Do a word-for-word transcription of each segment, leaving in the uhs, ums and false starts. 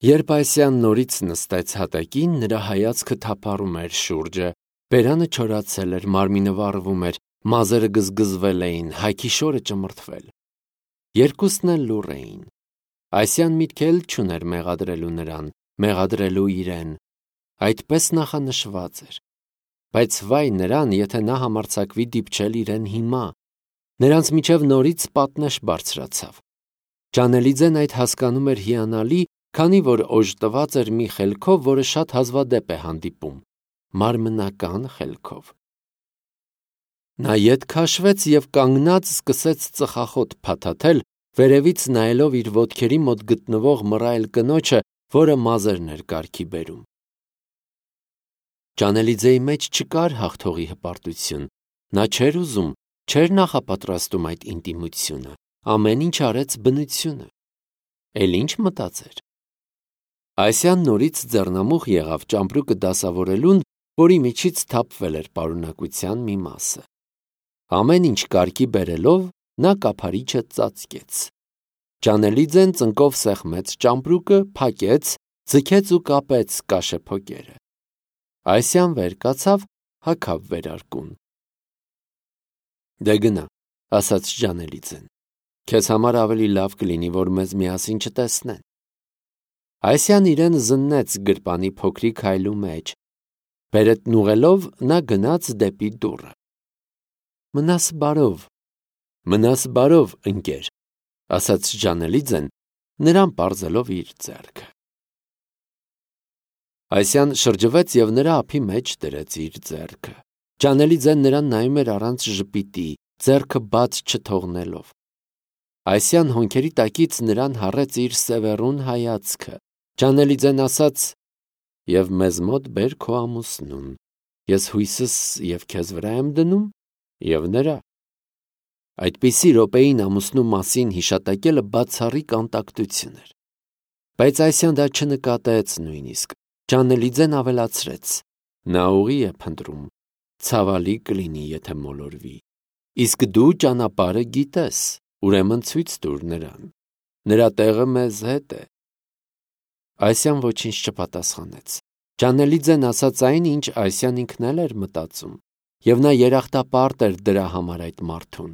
Երբ Այսիան նորից նստեց հատակին, նրա հայացքը թափառում էր շուրջը, բերանը չորացել էր, մարմինը վառվում էր, մազերը գզգզվել էին, հայքի շորը ճմրթվել։ Երկուսն էլ լուռ էին։ Այսիան միտք էլ չուներ մեղադրելու նրան, մեղադրելու իրեն, այդպես նախանշված էր։ Բայց վայ նրան, եթե նա համարձակվի դիպչել իրեն հիմա, նրանց միջև նորից պատնեշ բարձրացավ։ Ջանելիձեն այդ հասկանում էր հիանալի, քանի որ օժտված էր մի խելքով, որը շատ հազվադեպ է հանդիպում, մարմնական խելքով։ Նա ետ քաշվեց և կանգնած սկսեց ծխախոտ փաթաթել, վերևից նայելով իր ոտքերի մոտ գտնվող մռայլ կնոջը, որը մազերն էր կարգի բերում։ Ջանելիձեի մեջ չկար հաղթողի հպարտություն, նա չէր ուզում, չէր նախապատրաստում այդ ինտիմությունը, ամեն ինչ արեց բնությունը։ Էլ ինչ մտածեր։ Այսիան նորից ձեռնամուխ եղավ ճամպրուկը դասավորելուն, որի միջից թափվել էր պարունակության մի մասը։ Ամեն ինչ կարգի բերելով, նա կափարիչը ծածկեց։ Ջանելիձեն ծնկով սեղմեց ճամպրուկը, փակեց, ձգեց ու կապեց կաշեփոկերը։ Այսիան վեր կացավ, հագավ վերարկուն։ Դե գնա, ասաց Ջանելիձեն, քեզ համար ավելի լավ կլինի, որ մեզ միասին չտեսնեն։ Այսիան իրեն զննեց գրպանի փոքրիկ հայլու մեջ։ Բերետն ուղղելով նա գնաց դեպի դուռը։ Մնաս բարով, մնաս բարով, ընկեր, ասաց Ջանելիձեն, նրան պարզելով իր ձեռքը։ Այսիան շրջվեց և նրա ափի մեջ դրեց իր ձեռքը։ Ջանելիձեն նրան նայում էր առանց ժպիտի, ձեռքը բաց չթողնելով։ Այսիան հոնքերի տակից նրան հառեց իր սևեռուն հայացքը։ Ջանելիձեն ասաց. «Եվ մեզ մոտ բեր քո ամուսնուն, ես հույսս և քեզ վրա եմ դնում, և նրա»։ Այդպիսի րոպեին ամուսնու մասին հիշատակելը բացառիկ անտակտություն էր։ Բայց Այսիան դա չնկատեց նույնիսկ։ Ջանելիձեն ավելացրեց. «Նա ուղի է փնտրում, ցավալի կլինի, եթե մոլորվի, իսկ դու ճանապարհը գիտես, ուրեմն ցույց տուր նրան, նրա տեղը մեզ հետ է»։ Այսիան ոչինչ չպատասխանեց։ Ջանելիձեն ասաց այն, ինչ Այսիան ինքն էլ էր մտածում, և նա երախտապարտ էր դրա համար այդ մարդուն։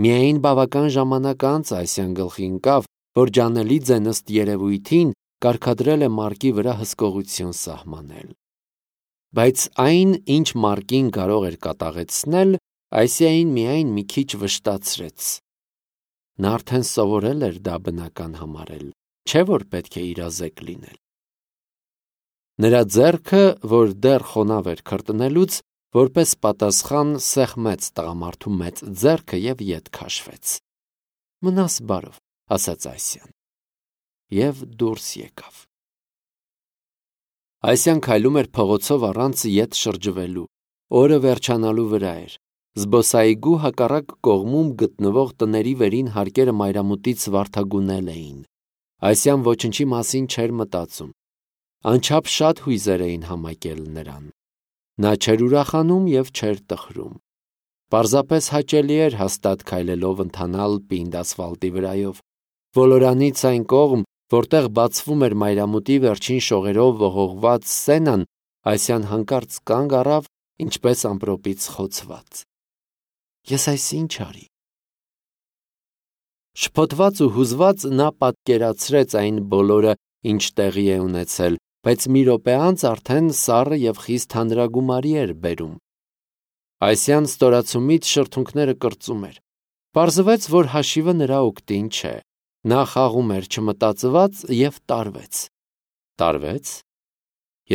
Միայն բավական ժամանակ անց Այսիան գլխի ընկավ, որ Ջանելիձեն ըստ երևույթին կարգադրել է մարկի վրա հսկողություն սահմանել։ Բայց այն, ինչ մարկին կարող էր կատաղեցնել, Այսիային միայն մի քիչ վշտացրեց։ Նա արդեն սովորել էր դա բնական համարել, չէ՞ որ պետք է իրազեկ լինել։ Նրա ձեռքը, որ դեռ խոնավ էր քրտնելուց, որպես պատասխան սեղմեց տղամարդու մեծ ձեռքը և ետ քաշվեց։ Մնաս բարով, ասաց Այսիան։ Եվ դուրս եկավ։ Այսիան քայլում էր փողոցով առանց ետ շրջվելու։ Օրը վերջանալու վրա էր։ Զբոսայգու հակառակ կողմում գտնվող տների վերին հարկերը մայրամուտից վարդագունել էին։ Այսիան ոչնչի մասին չէր մտածում։ Անչափ շատ հույզեր էին համակել նրան։ Նա չէր ուրախանում և չէր տխրում։ Պարզապես հաճելի էր հաստատ քայլելով ընթանալ պինդ ասֆալտի վրայով։ Ոլորանից այն կողմ, որտեղ բացվում էր մայրամուտի վերջին շողերով ողողված սենան, Այսիան հանկարծ կանգ առավ, ինչպես ամպրոպից խոցված։ Ես այս ինչ արի։ Շփոթված ու հուզված նա պատկերացրեց այն բոլորը, ինչ տեղի է ունեցել, բայց մի րոպե անց արդեն սառը և խիստ հանրագումարի էր բերում։ Այսիան ստորացումից շրթունքները կրծում էր։ Պարզվեց, որ հաշիվը նրա օգտին չէ։ Նա խաղում էր չմտածված և տարվեց։ Տարվեց։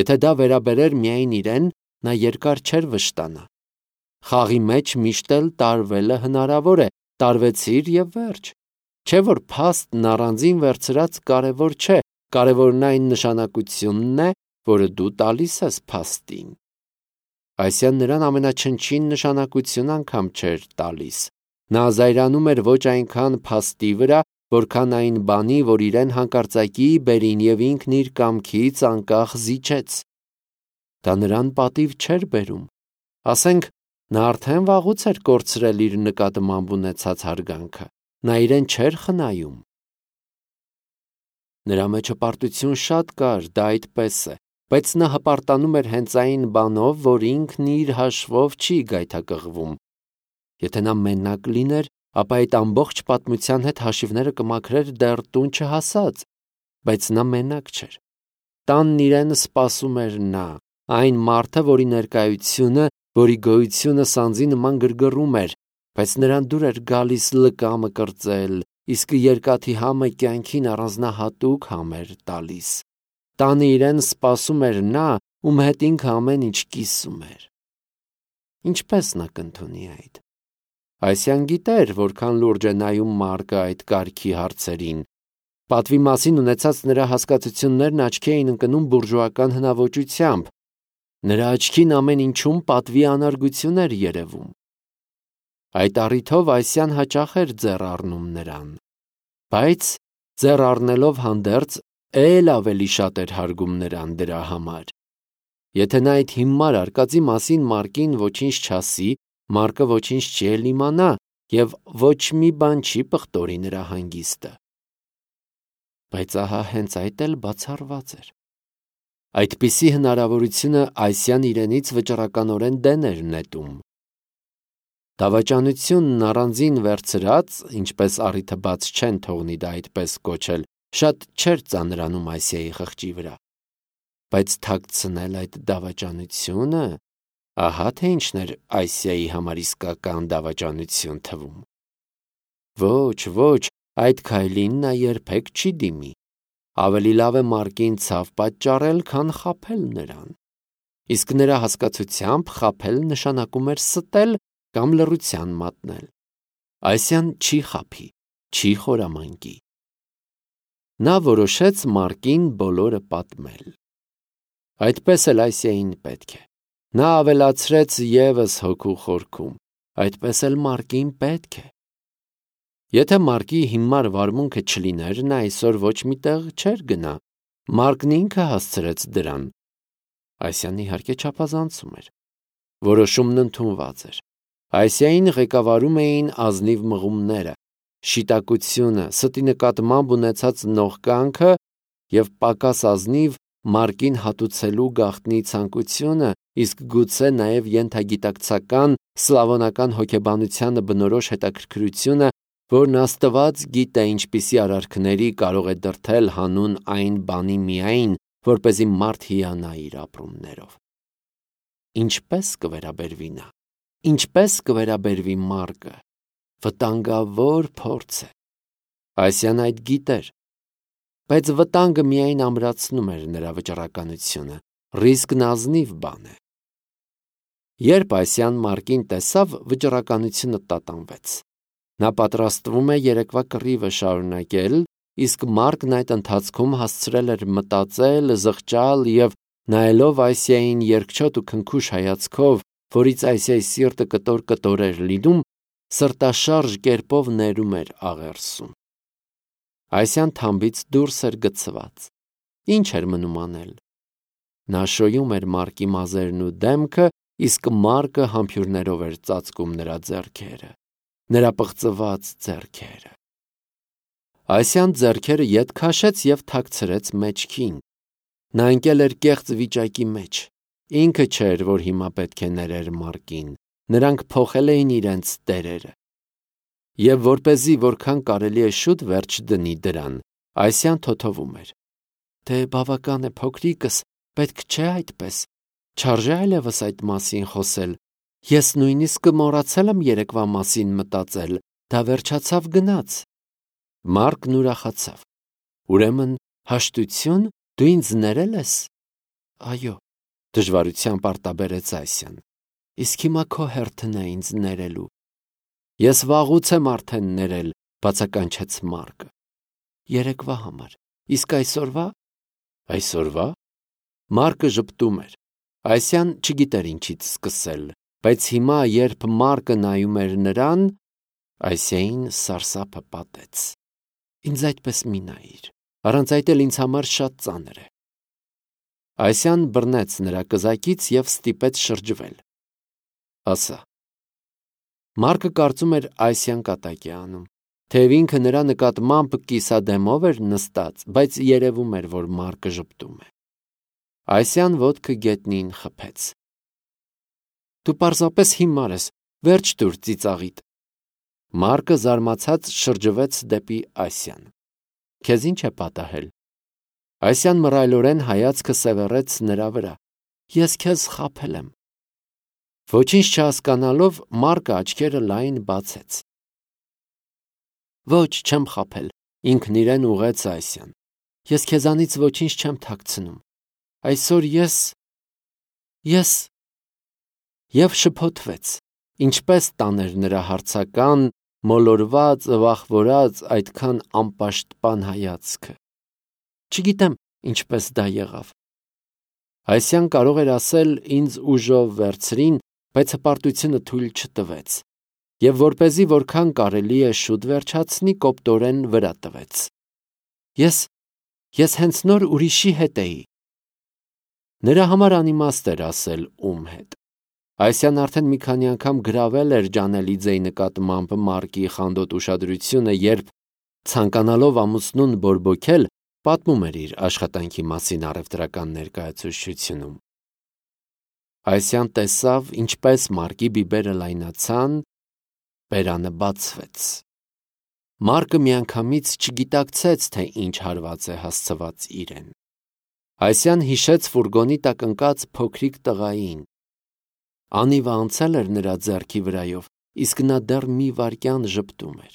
Եթե դա վերաբերեր միայն իրեն, նա երկար չէր վշտանա։ Խաղի մեջ միշտ էլ տարվելը հնարավոր է, տարվեցիր և վերջ։ Չէ՞ որ փաստն առանձին վերցրած կարևոր չէ, կարևորն այն նշանակությունն է, որը դու տալիս ես փաստին։ Այսիան նրան ամենաչնչին նշանակություն անգամ չէր տալիս։ Նա զայրանում էր ոչ այնքան փաստի վրա, որքան այն բանի, որ իրեն հանկարծակի բերին և ինքն իր կամքից անկախ զիջեց։ Դա նրան պատիվ չէր բերում։ Ասենք, նա արդեն վաղուց էր կորցրել իր նկատմամբ ունեցած հարգանքը։ Նա իրեն չէր խնայում։ Նրա մեջ հպարտություն շատ կար, դա այդպես է, բայց նա հպարտանում էր հենց այն բանով, որ ինքն իր հաշվով չի գայթակղվում։ Եթե նա մենակ լիներ, ապա այդ ամբողջ պատմության հետ հաշիվները կմաքրեր դեռ տուն չհասած, բայց նա մենակ չէր։ Տանն իրեն սպասում էր նա, այն մարդը, որի ներկայությունը, որի գոյությունը սանձի նման գրգռում էր, բայց նրան դուր էր գալիս լկամը կրծել, իսկ երկաթի համը կյանքին առանձնահատուկ համ էր տալիս։ Տանը իրեն սպասում էր նա, ում հետ ինքը ամեն ինչ կիսում էր։ Ինչպես նա կընդունի այդ։ Այսյան գիտեր, որքան լուրջ է նայում Մարկը այդ կարգի հարցերին։ Պատվի մասին ունեցած նրա հասկացություններն աչքի էին ընկնում բուրժուական հնաոճությամբ։ Նրա աչքին ամեն ինչում պատվի անարգություն էր երևում։ Այդ առիթով Այսյան հաճախ էր ձեռ առնում նրան, բայց ձեռ առնելով հանդերձ էլ ավելի շատ էր հարգում նրան դրա համար։ Եթե նա այդ հիմար արկածի մասին Մարկին ոչինչ չասի, Մարկը ոչինչ չի էլ իմանա և ոչ մի բան չի պղտորի նրա հանգիստը։ Բայց ահա հենց այդ էլ բացառված էր։ Այդպիսի հնարավորությունը Այսյան իրենից վճռականորեն դեն էր նետում։ Դավաճանությունն առանձին վերցրած, ինչպես առիթը բաց չեն թողնի դա այդպես կոչել, շատ չէր ծանրանում Այսիայի խղճի վրա։ Բայց թաքցնել այդ դավաճանությունը, ահա թե ինչն էր Այսիայի համար իսկական դավաճանություն թվում։ Ոչ, ոչ, այդ քայլին նա երբեք չի դիմի։ Ավելի լավ է Մարկին ցավ պատճառել, քան խաբել նրան։ Իսկ նրա հասկացությամբ խաբել նշանակում էր ստել կամ լռության մատնել։ Այսյան չի խաբի, չի խորամանկի։ Նա որոշեց Մարկին բոլորը պատմել։ Այդպես էլ Այսիային պետք է։ Նա ավելացրեց ևս հոգու խորքում, այդպես էլ Մարկին պետք է։ Եթե Մարկի հիմար վարմունքը չլիներ, նա այսօր ոչ մի տեղ չէր գնա։ Մարկն ինքը հասցրեց դրան։ Այսյան իհարկե չափազանցում էր։ Որոշումն ընդունված էր։ Այսիային ղեկավարում էին ազնիվ մղումները, շիտակությունը, ստի նկատմամբ ունեցած նողկանքը և պակաս ազնիվ Մարկին հատուցելու գաղտնի ցանկությունը, իսկ գուցե նաև ենթագիտակցական սլավոնական հոգեբանությանը բնորոշ հետաքրքրությունը, որն Աստված գիտե ինչպիսի արարքների կարող է դրդել հանուն այն բանի միայն, որպեսզի մարդ հիանա իր ապրումներով։ Ինչպես կվերաբերվի նա։ Ինչպես կվերաբերվի Մարկը։ Վտանգավոր փորձ է։ Այսյան այդ գիտեր։ Բայց վտանգը միայն ամրացնում էր նրա վճռականությունը, ռիսկն ազնիվ բան է։ Երբ Այսյան Մարկին տեսավ, վճռականությունը տատանվեց։ Նա պատրաստվում է երեկվա կռիվը շարունակել, իսկ Մարկն այդ ընթացքում հասցրել էր մտածել, զղջալ և նայելով Այսիային երկչոտ ու քնքուշ հայացքով, որից Այսիայի սիրտը կտոր-կտոր էր լինում, սրտաշարժ կերպով ներում էր աղերսում։ Այսյան թամբից դուրս էր գցված։ Ինչ էր մնում անել։ Նա շոյում էր Մարկի մազերն ու դեմքը, իսկ Մարկը համբուրներով էր ծածկում նրա ձեռքերը, նրա պղծված ձեռքերը։ Այսյան ձեռքերը ետ քաշեց և թաքցրեց մեջքին։ Նա ընկել էր կեղծ վիճակի մեջ։ Ինքը չէր, որ հիմա պետք է ներեր Մարկին, նրանք փոխել էին իրենց տերերը։ Եվ որպեսզի որքան կարելի է շուտ վերջ դնի դրան, Այսյան թոթովում էր. Դե բավական է փոքրիկս, պետք չէ այդպես, չարժե այլևս այդ մասին խոսել, ես նույնիսկ մոռացել եմ երեկվա մասին մտածել, դա վերջացավ գնաց։ Մարկն ուրախացավ։ Ուրեմն հաշտություն, դու ինձ ներել ես։ Այո, դժվարությամբ արտաբերեց Այսյան։ Իսկ հիմա քո հերթն է ինձ ներելու։ Ես վաղուց եմ արդեն ներել, բացականչեց Մարկը։ Երեկվա համար, իսկ այսօրվա։ Այսօրվա։ Մարկը ժպտում էր։ Այսյան չգիտեր ինչից սկսել, բայց հիմա, երբ Մարկը նայում էր նրան, Այսիային սարսափը պատեց։ Ինձ այդպես մի նայիր, առանց այդ էլ ինձ համար շատ ծանր է։ Այսյան բռնեց նրա կզակից և ստիպեց շրջվել։ Ասա։ Մարկը կարծում էր Այսյան կատակ է անում, Թեև ինքը նրա նկատմամբ կիսադեմով էր նստած, բայց երևում էր, որ Մարկը ժպտում է։ Այսյան ոտքը գետնին խփեց։ Դու պարզապես հիմար ես, վերջ տուր ծիծաղիդ։ Մարկը զարմացած շրջվեց դեպի Ասիան։ Քեզ ինչ է պատահել։ Ասիան մռայլորեն հայացքը սևեռեց նրա վրա։ Ես քեզ խաբել եմ։ Ոչինչ չհասկանալով Մարկը աչքերը լայն բացեց։ Ոչ, չեմ խաբել, ինքն իրեն ուղեց Ասիան։ Ես քեզանից ոչինչ չեմ թաքցնում։ Այսօր ես… ես… Եվ շփոթվեց, ինչպես տաներ նրա հարցական, մոլորված, վախվորած, այդքան անպաշտպան հայացքը։ Չգիտեմ, ինչպես դա եղավ։ Ասիան կարող էր ասել ինձ ուժով վերցրին, բայց հպարտությունը թույլ չտվեց, և որպեսզի որքան կարելի է շուտ վերջացնի, կոպտորեն վրա տվեց։ Ես… ես հենց նոր ուրիշի հետ էի։ Նրա համար անիմաստ էր ասել ում հետ։ Ասիան արդեն մի քանի անգամ գրավել էր Ջանելիձեի նկատմամբ Մարկի խանդոտ ուշադրությունը, երբ, ցանկանալով ամուսնուն բորբոքել, պատմում էր իր աշխատանքի մասին առևտրական ներկայացուցչությունում։ Ասիան տեսավ, ինչպես Մարկի բիբերը լայնացան, բերանը բացվեց։ Մարկը միանգամից չգիտակցեց, թե ինչ հարված է հասցված իրեն։ Ասիան հիշեց ֆուրգոնի տակ ընկած փոքրիկ տղային։ Անիվը անցել էր նրա ձեռքի վրայով, իսկ նա դեռ մի վայրկյան ժպտում էր։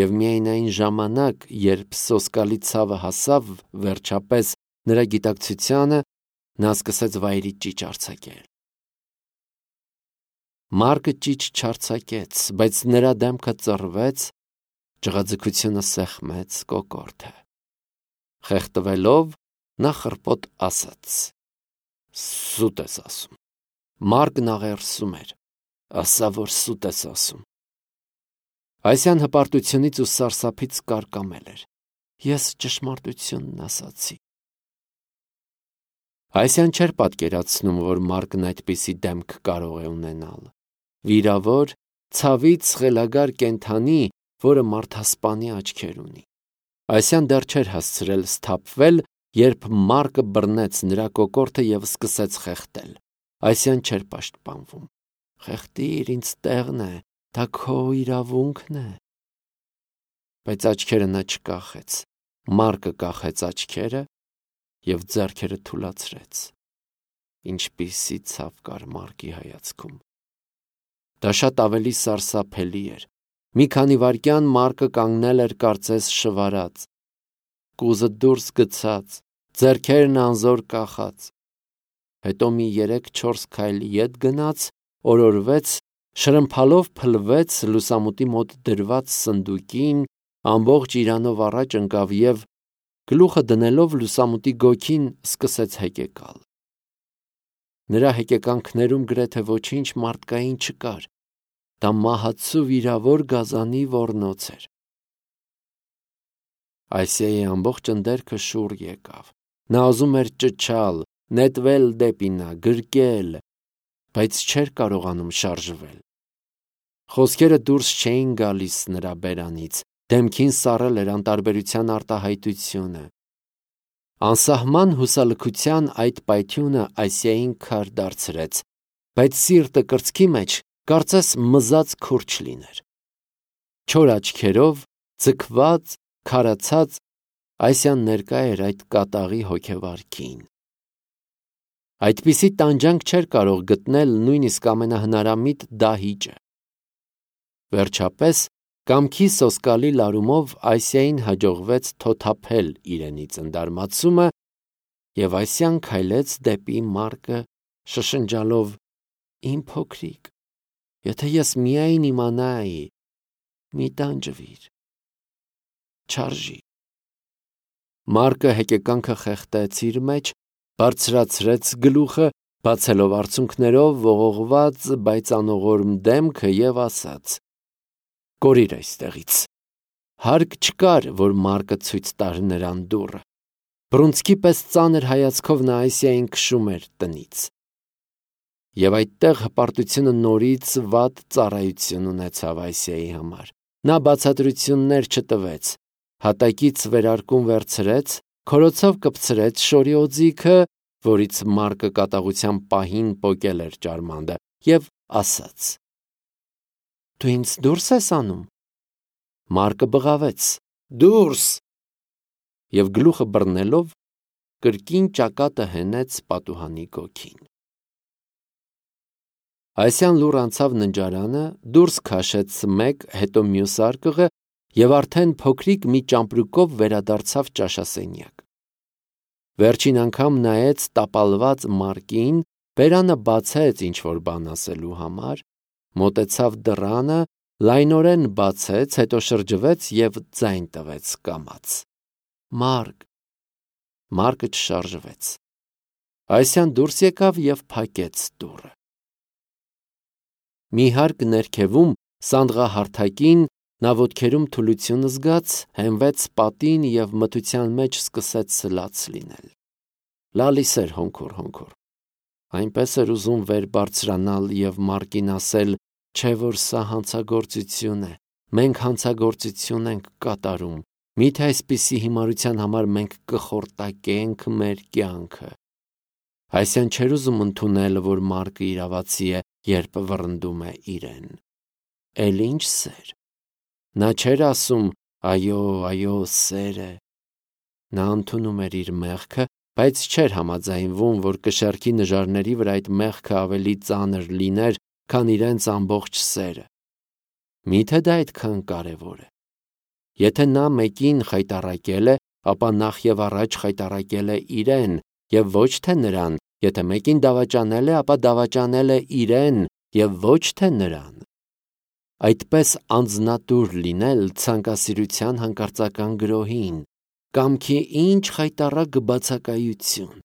Եվ միայն այն ժամանակ, երբ սոսկալի ցավը հասավ վերջապես նրա գիտակցությանը, նա սկսեց վայրի ճիչ արձակել։ Մարկը ճիչ չարձակեց, բայց նրա դեմքը ծռվեց, ջղաձգությունը սեղմեց կոկորդը։ Խեղդվելով, նա խռպոտ ասաց. Սուտ ես ասում։ Մարկն աղերսում էր։ Ասա, որ սուտ ես ասում։ Ասիան հպարտությունից ու սարսափից կարկամել էր։ Ես ճշմարտությունն ասացի։ Ասիան չէր պատկերացնում, որ Մարկն այդպիսի դեմք կարող է ունենալ։ Վիրավոր, ցավից խելագար կենդանի, որը մարդասպանի աչքեր ունի։ Ասիան դեռ չէր հասցրել սթափվել, երբ Մարկը բռնեց նրա կոկորդը և սկսեց խեղդել։ Ասիան չէր պաշտպանվում։ Խեղդիր, ինձ տեղն է, դա քո իրավունքն է։ Բայց աչքերը նա չկախեց։ Մարկը կախեց աչքերը և ձեռքերը թուլացրեց։ Ինչպիսի ցավ կար Մարկի հայացքում։ Դա շատ ավելի սարսափելի էր։ Մի քանի վայրկյան Մարկը կանգնել էր կարծես շվարած, կուզը դուրս գցած, ձեռքերն անզոր կախած։ Հետո մի երեք-չորս քայլ ետ գնաց, օրորվեց, շրմփալով փլվեց լուսամուտի մոտ դրված սնդուկին, ամբողջ իրանով առաջ ընկավ և, գլուխը դնելով լուսամուտի գոգին, սկսեց հեկեկալ։ Նրա հեկեկանքներում գրեթե ոչինչ մարդկային չկար։ Դա մահացու վիրավոր գազանի ոռնոց էր։ Ասիայի ամբողջ ընդերքը շուռ եկավ։ Նա ուզում էր ճչալ, նետվել դեպի նա, գրկել, բայց չէր կարողանում շարժվել։ Խոսքերը դուրս չէին գալիս նրա բերանից, դեմքին սառել էր անտարբերության արտահայտությունը։ Անսահման հուսալքության այդ պայթյունը Ասիային քար դարձրեց, բայց սիրտը կրծքի մեջ կարծես մզած քուրջ լիներ։ Չոր աչքերով, ձգված, քարացած, Ասիան ներկա էր այդ կատաղի հոգեվարքին։ Այդպիսի տանջանք չէր կարող գտնել նույնիսկ ամենահնարամիտ դահիճը։ Վերջապես, կամքի սոսկալի լարումով Ասիային հաջողվեց թոթափել իրենից ընդարմացումը, և Ասիան քայլեց դեպի Մարկը, շշնջալով. Իմ փոքրիկ, եթե ես միայն իմանայի, մի տանջվիր, չարժի։ Մարկը հեկեկանքը խեղդեց իր մեջ, բարձրացրեց գլուխը, բացելով արցունքներով ողողված, բայց անողորմ դեմքը և ասաց. Կորիր այստեղից։ Հարկ չկար, որ Մարկը ցույց տար նրան դուռը։ Բռունցքի պես ծանր հայացքով նա Ասիային քշում էր տնից։ Եվ այդտեղ հպարտությունը նորից վատ ծառայություն ունեցավ Ասիայի համար։ Նա բացատրություններ չտվեց, հատակից վերարկուն վերցրեց, քորոցով կպցրեց շորի օձիքը, որից Մարկը կատաղության պահին պոկել էր ճարմանդը, և ասաց. «Դու ինձ դուրս ես անում»։ Մարկը բղավեց. «Դուրս»։ Եվ գլուխը բռնելով կրկին ճակատը հենեց պատուհանի գոգին։ Այսյան լուռ անցավ ննջարանը, դուրս քաշեց մեկ, հետո մյուս արկղը և արդեն փոքրիկ մի ճամպրուկով վերադարձավ ճաշասենյակ։ Վերջին անգամ նայեց տապալված Մարկին, բերանը բացեց ինչ-որ բան ասելու համար, մոտեցավ դռանը, լայնորեն բացեց, հետո շրջվեց և ձայն տվեց կամաց. «Մարկ»։ Մարկը չշարժվեց։ Այսյան դուրս եկավ և փակեց դուռը։ Մի հարկ ներքևում, սանդղահարթակին, նա ոտքերում թուլություն զգաց, հենվեց պատին և մթության մեջ սկսեց սլաց լինել։ Լալիս էր հոնքոր-հոնքոր։ Այնպես էր ուզում վեր բարձրանալ և Մարկին ասել, չէ՞ որ սա հանցագործություն է, մենք հանցագործություն ենք կատարում, միթե այսպիսի հիմարության համար մենք կխորտակենք մեր կյանքը։ Այսյան չէր ուզում ընդունել, որ Մարկը իրավացի է, երբ վռնդում է իրեն։ Էլ ինչ սեր։ Նա չէր ասում. «Այո, այո, սեր է»։ Նա ընդունում էր իր մեղքը, բայց չէր համաձայնվում, որ կշեռքի նժարների վրա այդ մեղքը ավելի ծանր լիներ, քան իրենց ամբողջ սերը։ Միթե դա այդքան կարևոր է։ Եթե նա մեկին խայտառակել է, ապա նախ և առաջ խայտառակել է իրեն, և ոչ թե նրան, եթե մեկին դավաճանել է, ապա դավաճանել է իրեն և ոչ թե նրան։ Այդպես անձնատուր լինել ցանկասիրության հանկարծական գրոհին, կամքի ինչ խայտառակ բացակայություն։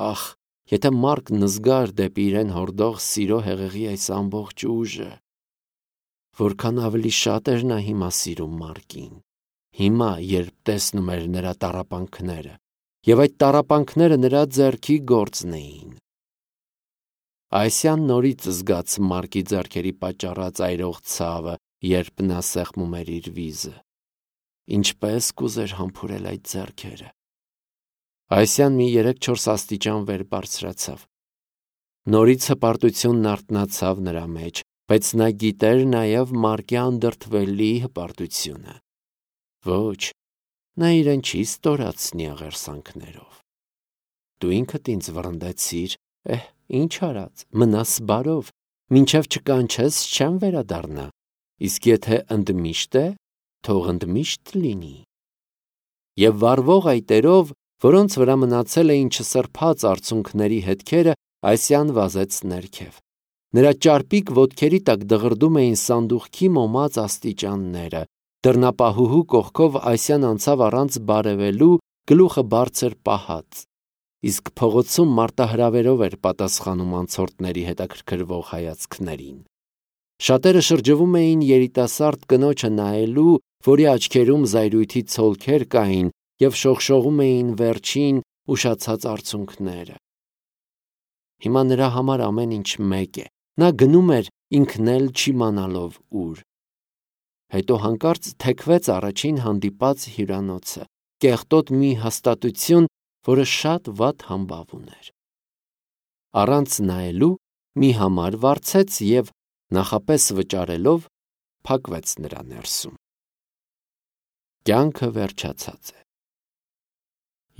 Ախ, եթե Մարկն զգար դեպի իրեն հորդող սիրո հեղեղի այս ամբողջ ուժը, որքան ավելի շատ էր նա հիմա սիրում Մարկին, հիմա, երբ տեսնում էր նրա տառապանքները, և այդ տառապանքները նրա ձեռքի գործն էին։ Այսյան նորից զգաց Մարկի ձեռքերի պատճառած այրող ցավը, երբ նա սեղմում էր իր վիզը։ Ինչպես կուզեր համբուրել այդ ձեռքերը։ Այսյան մի երեք-չորս աստիճան վեր բարձրացավ։ Նորից հպարտությունն արթնացավ նրա մեջ, բայց նա գիտեր նաև Մարկի անդրդվելի հպարտությունը։ Ոչ, նա իրեն չի ստորացնի աղերսանքներով։ Դու ինքդ ինձ վռնդեցիր, էհ, ինչ արած, մնաս բարով, մինչև չկանչես չեմ վերադառնա, իսկ եթե ընդմիշտ է, թող ընդմիշտ լինի։ Եվ վառվող այտերով, որոնց վրա մնացել էին չսրբած արցունքների հետքերը, Այսյան վազեց ներքև։ Նրա ճարպիկ ոտքերի տակ դղրդում էին սանդուղքի մոմած աստիճանները, դռնապահուհու կողքով Այսյան անցավ առանց բարևելու, գլուխը բարձր պահած, իսկ փողոցում մարտահրավերով էր պատասխանում անցորդների հետաքրքրվող հայացքներին։ Շատերը շրջվում էին երիտասարդ կնոջը նայելու, որի աչքերում զայրույթի ցոլքեր կային, և շողշողում էին վերջին ուշացած արցունքները։ Հիմա նրա համար ամեն ինչ մեկ է, նա գնում էր ինքն էլ չիմանալով ուր։ Հետո հանկարծ թեքվեց առաջին հանդիպած հյուրանոցը, կեղտոտ մի հաստատություն, որը շատ վատ համբավ ուներ։ Առանց նայելու մի համար վարձեց և, նախապես վճարելով, փակվեց նրա ներսում։ Կյանքը վերջացած է։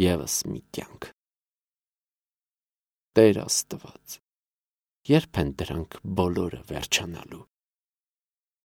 Եվս մի կյանք։ Տեր Աստված, երբ են դրանք բոլորը վերջանալու։